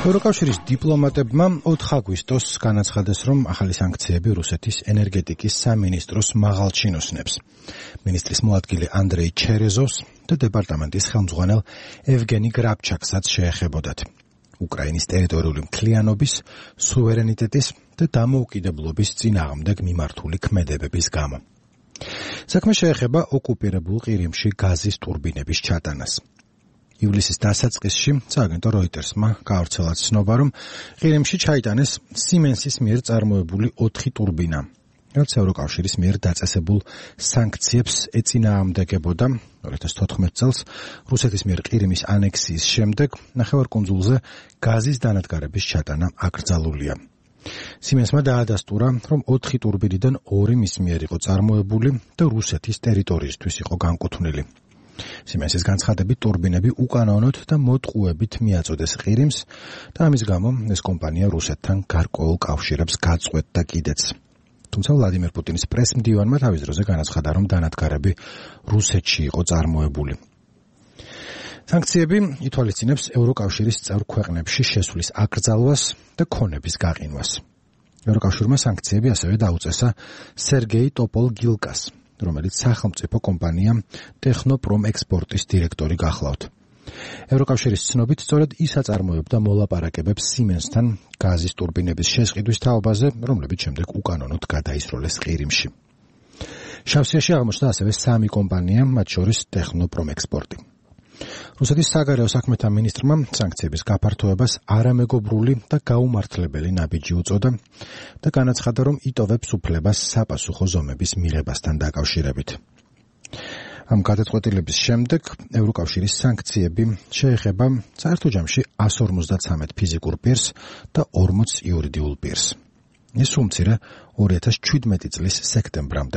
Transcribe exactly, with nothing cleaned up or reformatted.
ევროკავშირის დიპლომატებმა ოთხ აგვისტოს განაცხადეს, რომ ახალი სანქციები რუსეთის ენერგეტიკის სამინისტროს მაღალ ჩინოსნებს, მინისტრის მოადგილე ანდრეი ჩერეზოვს და დეპარტამენტის ხელმძღვანელ ევგენი გრაბჩაკსაც შეეხებოდათ. უკრაინის ტერიტორიული მთლიანობის, სუვერენიტეტის და დამოუკიდებლობის წინააღმდეგ მიმართული ქმედებების გამო. საქმე შეეხება ოკუპირებულ ყირიმში გაზის ტურბინების ჩატანას. ივლისის დასაწყისში სააგენტო როიტერსმა გაავრცელა ცნობა, რომ ყირიმში ჩაიტანეს სიმენსის მიერ წარმოებული ოთხი ტურბინა, რაც ევროკავშირის მიერ დაწესებულ სანქციებს ეწინააღმდეგებოდა. ორი ათას თოთხმეტ წელს რუსეთის მიერ ყირიმის ანექსიის შემდეგ ნახევარკუნძულზე გაზის დანადგარების ჩატანა აკრძალულია. სიმენსმა დაადასტურა, რომ ოთხი ტურბინიდან ორი მის მიერ იყო წარმოებული და რუსეთის ტერიტორიისთვის იყო განკუთვნილი. სიმენსის განცხადებით ტურბინები უკანონოდ და მოტყუებით მიაწოდეს ყირიმს და ამის გამო ეს კომპანია რუსეთთან გარკვეულ კავშირებს გაწყვეტდა კიდეც. თუმცა ვლადიმერ პუტინის პრესმდივანმა თავის დროზე განაცხადა, რომ დანადგარები რუსეთში იყო წარმოებული. სანქციები ითვალისწინებს ევროკავშირის წევრ ქვეყნებში შესვლის აკრძალვას და ქონების გაყინვას. ევროკავშირმა სანქციები ასევე დაუწესა სერგეი ტოპოლ-გილკას, რომელიც სახელმწიფო კომპანია ტექნოპრომ ექსპორტის დირექტორი გახლავთ. ევროკავშირის ცნობით, სწორედ ის აწარმოებდა მოლაპარაკებებს სიმენსთან გაზის ტურბინების შესყიდვის თაობაზე, რომლებიც შემდეგ უკანონოდ გადაისროლეს ყირიმში. შავსიაში აღმოჩნდა ასევე სამი კომპანია, მათ შორის ტექნოპრომ ექსპორტი. რუსეთის საგარეო საქმეთა მინისტრმა სანქციების გაფართოებას არამეგობრული და გაუმართლებელი ნაბიჯი უწოდა და განაცხადა, რომ იტოვებს უფლებას საპასუხო ზომების მიღებასთან დაკავშირებით. ამ გადაწყვეტილების შემდეგ ევროკავშირის სანქციები შეეხება საერთო ჯამში εκατს ორმოცდაცამეტ ფიზიკურ პირს და ორმოც იურიდიულ პირს. ეს უმცირე ორი ათას ჩვიდმეტი წლის სექტემბრამდე